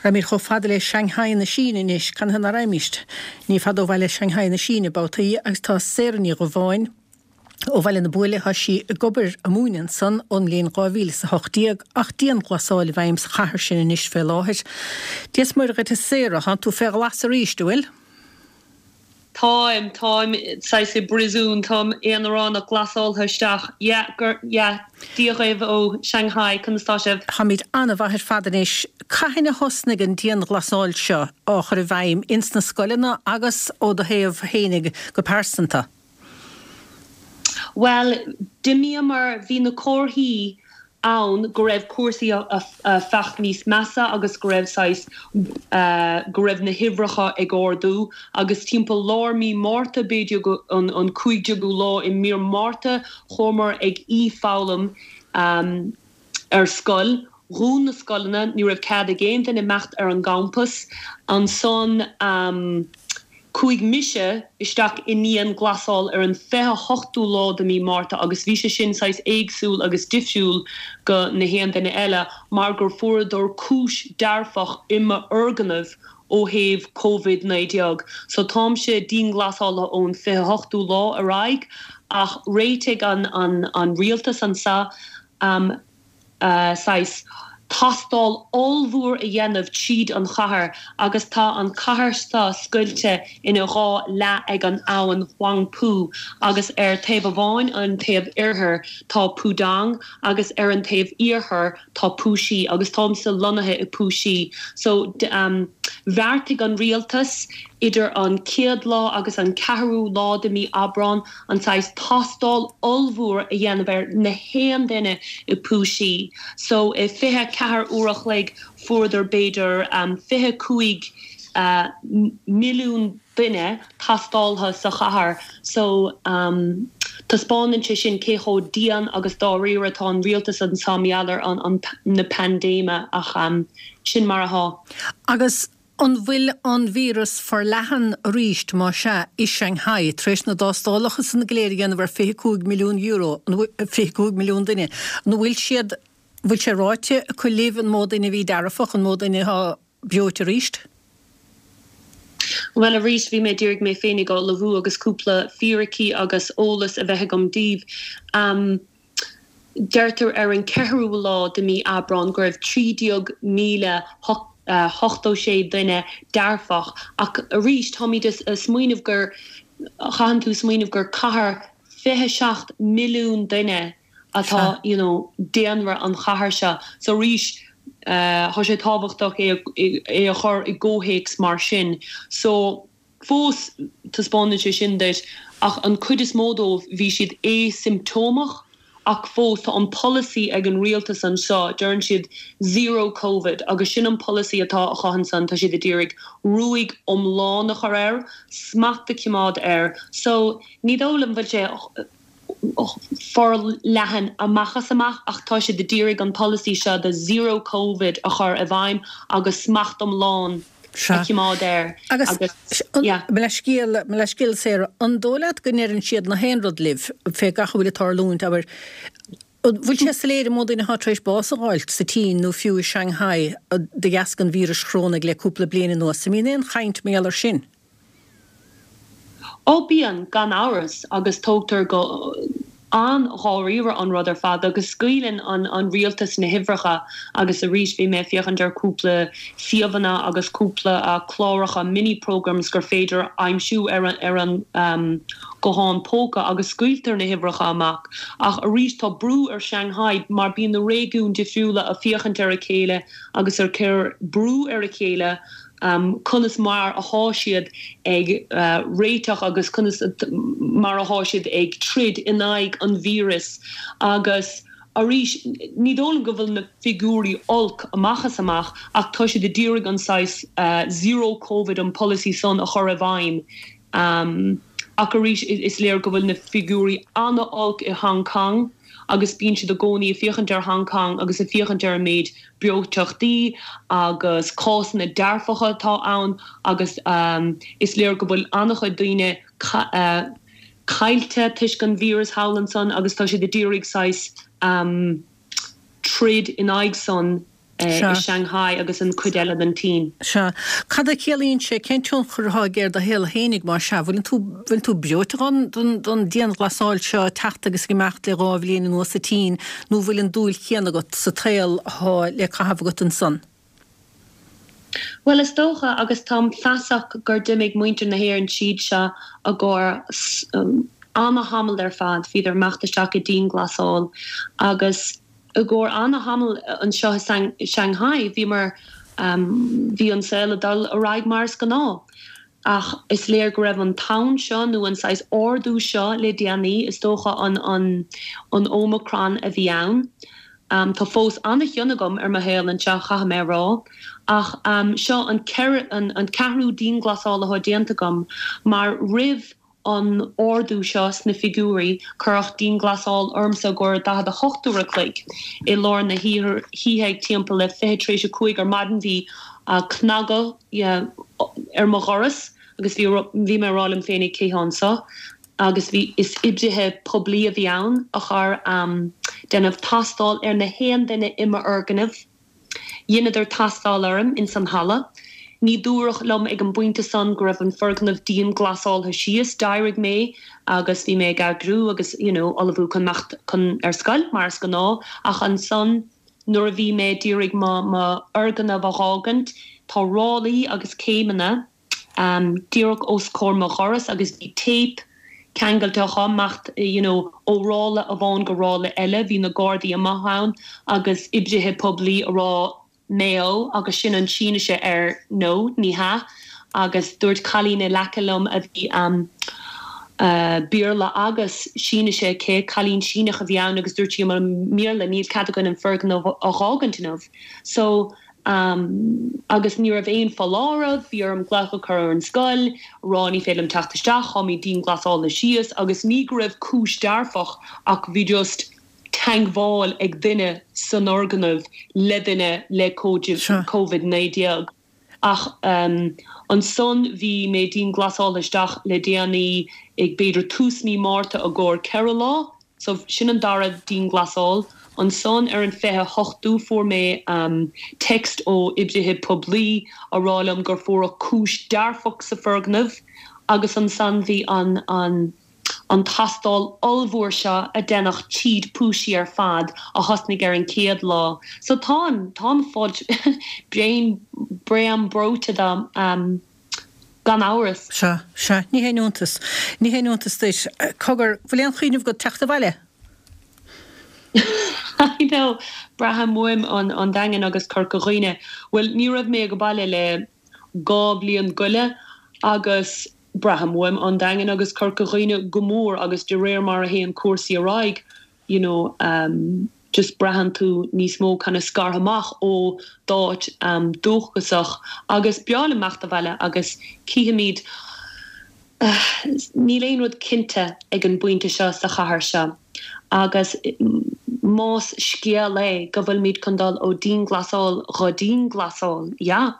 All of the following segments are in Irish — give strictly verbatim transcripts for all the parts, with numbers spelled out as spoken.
Raghaimid chomh fada le Shanghai na Síne anois, canathaobh nach raghaimist? Ní fada ó bhaile Shanghai na Síne babhtaí agus tá Sarah Ní Dhubháin ó Bhaile na Buaile, tá sí ag obair ag múineadh ansan ón mbliain dhá mhíle is a hocht déag ach dianghlasáil i bhfeidhm sa chathair sin anois fé láthair. Dia is Muire dhuit a Sarah, tánn tú fé ghlas arís, an bhfuil? Táim, táim saghas i bpríosún, táim aonaránach glasáltha isteach, yeah, gur, yeah, Dia dhaoibh ó Shanghai, conas tá sibh? Táimid an-mhaith ar fad anois. Cathain a thosnaigh an dianghlasáil seo á chur i bhfeidhm ins na scoileanna agus ó do thaobh fhéinig go pearsanta? Bhuel, d'imíomar, bhí na comharthaí ann go raibh cúrsaí ag fáil níos measa agus go raibh saghas, go raibh na huimhreacha ag ardú agus timpeall lár mí Márta, b'fhéidir go an an cúig déagú lá i mí Márta, chuamar ag e-foghlaim ar scoil. Dhún na scoileanna, ní raibh cead ag aon duine imeacht ar an gcampas. Ansan chuaigh mise isteach i ndianghlasáil ar an fiche hochtú lá de mí Márta agus bhí sé sin saghas éagsúil agus difriúil go na haon duine eile mar gur fuaireadar cúis dearfach i m'fhoirgneamh ó thaobh Covid naoi déag. So táimse dianghlasáilte ón fiche hochtú lá ar aghaidh ach réitigh an an an rialtas anso saghas tástáil ollmhór a dhéanamh tríd an chathair agus tá an chathair seo scoilte ina dhá leath ag an abhainn Huangpu agus ar taobh amháin, an taobh oirthir, tá Pudong agus ar an taobh iarthair tá Puxi agus táimse lonnaithe i Puxi. So bheartaigh an rialtas idir an chéad lá agus an ceathrú lá de mí Aibreán an saghas tástáil ollmhór a dhéanamh ar na haon duine i Puxi. So i fiche a ceathair uair a chloig fuaireadar b'fhéidir fiche cúig milliún duine tástáilte sa chathair. So taispeánann sé sin cé chomh dian agus dáiríre atá an rialtas anso mar gheall ar an na paindéime ach sin mar atá. Agus an bhfuil an víreas forleathan arís, más ea, i Shanghai, tar éis na dtástálacha san go léir a dhéanamh ar fiche cúig milliún euro, fiche cúig milliún duine, an bhfuil siad, bhfuil sé ráite acu libh an mó duine a bhí dearfach, an mó duine atá breoite arís? Bhuel arís, bhí mé d'iarraidh mé féinig a ullmhú agus cúpla fíricí agus eolas a bheith agam daoibh. Deirtear ar an ceathrú lá de mí Aibreán go raibh trí déag míle hochtó sé duine dearfach ach arís táimid ag smaoineamh gur, chaitheann tú smaoineamh gur cathair fiche seacht milliún duine atá you know daonra an chathair seo so arís tá sé tábhachtach é é a chur i gcomhthéacs mar sin so fós taispeánann sé sin duit ach an cuid is mó dóibh bhí siad asiomptómach ach fós tá an polasaí ag an rialtas anseo deireann siad zero covid agus sin an polasaí atá acu ansan tá siad ag iarraidh ruaig iomlán a chur air smacht a choimeád air so ní dóigh liom bhfuil sé forleathan amach as amach ach tá siad ag iarraidh an polasaí seo de zero covid a chur i bhfeidhm agus smacht iomlán a choimeád air Agus mo leithscéal, mo leithscéal Sarah, an dóigh leat go ndeireann siad na haon rud libh fé gach a bhfuil ag tarlúint, abair, an bhfuil sé soiléir an mó duine atá tar éis bás a fháilt sa tSín nó fiú i Shanghai de dheasca an víris chorónaigh le cúpla bliain anuas? An mbíonn aon chaint mar gheall air sin? Ó bíonn, gan amhras, agus tógtar go an-dháiríre an rud ar fad agus scaoileann an rialtas na huimhreacha agus arís bhí mé ag féachaint ar cúpla suíomhanna agus cúpla cláracha mini programmes gur féidir aimsiú ar ar an guthán póca agus scaoiltear na huimhreacha amach ach arís tá brú ar Shanghai mar bíonn na réigiúin difriúla ag féachaint ar a chéile agus ag cur brú ar a chéile conas mar athá siad ag réiteach agus conas mar athá siad ag troid in aghaidh an víreas agus arís ní dóigh liom go bhfuil na figiúirí olc amach is amach ach tá siad ag iarraidh an saghas zero covid an polasaí san a chur i bhfeidhm ach arís is léir go bhfuil na figiúirí an-olc i Hong Kong agus bíonn siad i gcónaí ag féachaint ar Hong Kong agus ag féachaint ar an méid breoiteachtaí agus cásanna dearfacha atá ann agus is léir go bhfuil an-chuid daoine caillte toisc an víreas thall ansan agus tá siad ag iarraidh saghas troid in aghaidh san. i Shanghai agus an chuid eile den tSín. Sea. Cad a chiallaíonn sé, cén tionchar atá aige ar do shaol fhéinig más ea? Bhfuileann tú, bhfuil tú breoite dhon, don, don dianghlasáil seo ag teacht agus ag imeacht le dhá bhliain anuas sa tSín nó bhfuil an dúil chéanna agat sa tsaol atá le caitheamh agat ansan? Bhuel is dócha agus táim feasach gur d'imigh muintir na hÉireann tríd seo i gcomhair ana-thamall ar fad, bhíodar imeacht isteach i dianghlasáil agus i gcomhair ana-thamall anseo i Shanghai bhíomar, bhí an saol ag dul ar aghaidh mar is gnáth. Ach is léir go raibh an tonn seo nó an saghas ardú seo le déanaí, is dócha an an Omicron a bhí ann. Tá fós ana-chion agam ar mo shaol anseo, caithfidh mé a rá. Ach seo an an ceathrú dianghlasáil atá déanta agam mar roimh an ardú seo sna figiúirí, cuireadh dianghlasáil ormsa i gcomhair daichead a hocht uair a chloig i lár na hoíche ag timpeall le fiche tar éis a cúig ar maidin bhí cnagadh ar mo dhoras agus bhí bhí mé ag rá liom féinig cé hé anseo agus bhí is oibrithe poiblí a bhí ann a chuir déanamh tástáil ar na haon duine i m'fhoirgneamh. Dheineadar tástáil orm ins an halla. Ní dúradh liom ag an bpointe san go raibh an foirgneamh dianghlasáilte síos. D'éirigh mé agus bhí mé ag eagrú agus you know ullmhú chun imeacht chun ar scoil mar is gnáth ach ansan nuair a bhí mé d'iarraidh mo mo fhoirgneamh a dh'fhágaint tá ráillí agus céimeanna díreach os comhair mo dhoras agus bhí téip ceangailte chomh imeacht you know ó ráille amháin go ráille eile bhí na gardaí amuigh ann agus oibrithe poiblí a rá méo agus sin an Sínise ar no ní hea agus dúirt cailín in aice liom a bhí um Béarla agus Sínise aici, cailín Síneach a bhí ann agus dúirt sí i mBéarla níl cead againn an foirgneamh a dh'fhágaint inniu so um agus ní raibh aon foláireamh, bhí orm glaoch a chur ar an scoil, rá ní féidir liom teacht isteach, táimid dianghlasáilte síos agus ní go raibh cúis dearfach ach bhí just teagmháil ag duine san fhoirgneamh le duine le Covid naoi déag. Ach ansan bhí mé dianghlasáilte isteach le déanaí ag b'fhéidir tús mí Márta i gcomhair ceithre lá, so sin an dara dianghlasáil. Ansan ar an fiche hochtú fuair mé text ó oibrithe poiblí a rá liom gur fuaireadh cúis dearfach sa foirgneamh agus ansan bhí an an an tástáil ollmhór seo a deineadh tríd Puxi ar fad a thosnaigh ar an chéad lá. So táim, táim fós bréan, bréan breoite de, gan amhras. Sea, sea, ní haon iontas, ní haon iontas duit. Cogar, bhfuil aon chuimhneamh agat teacht abhaile? I know, braithim uaim an, an Daingean agus Corca Dhuibhne. Bhuel, ní raibh mé ag baile le dhá bhliain go leith agus braithim uaim an Daingean agus Corca Dhuibhne go mór agus de réir mar a théann cúrsaí ar aghaidh, you know, um, just braitheann tú níos mó kind of scartha amach ó d'áit um, dúchasach agus b'fhearr liom imeacht abhaile agus cífimid uh, níl aon rud cinnte ag an bpointe seo sa chathair seo agus más scéal é go bhfuilimid chun dul ó dianghlasáil go dianghlasáil, yeah,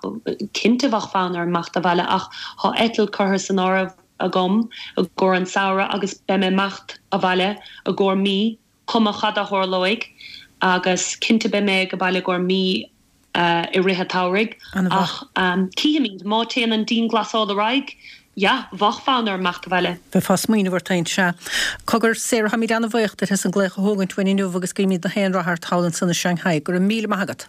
cinnte bheadh fonn orm imeacht abhaile ach tá eitilt curtha san áireamh agam i gcomhair an samhradh agus beidh mé imeacht abhaile i gcomhair mí, cuma cad a tharlóidh agus cinnte beidh mé ag baile i gcomhair mí i rith an tsamhraidh ach cífimid má théann an dianghlasáil ar aghaidh, yeah, bheadh fonn orm imeacht abhaile. Bheifeá ag smaoineamh ort féin, sea. Cogar, Sarah, táimid an-bhuíoch duit as an glaoch a thógaint uainn inniu agus guímid na haon rath ort thall ansan i Shanghai. Go raibh míle maith agat.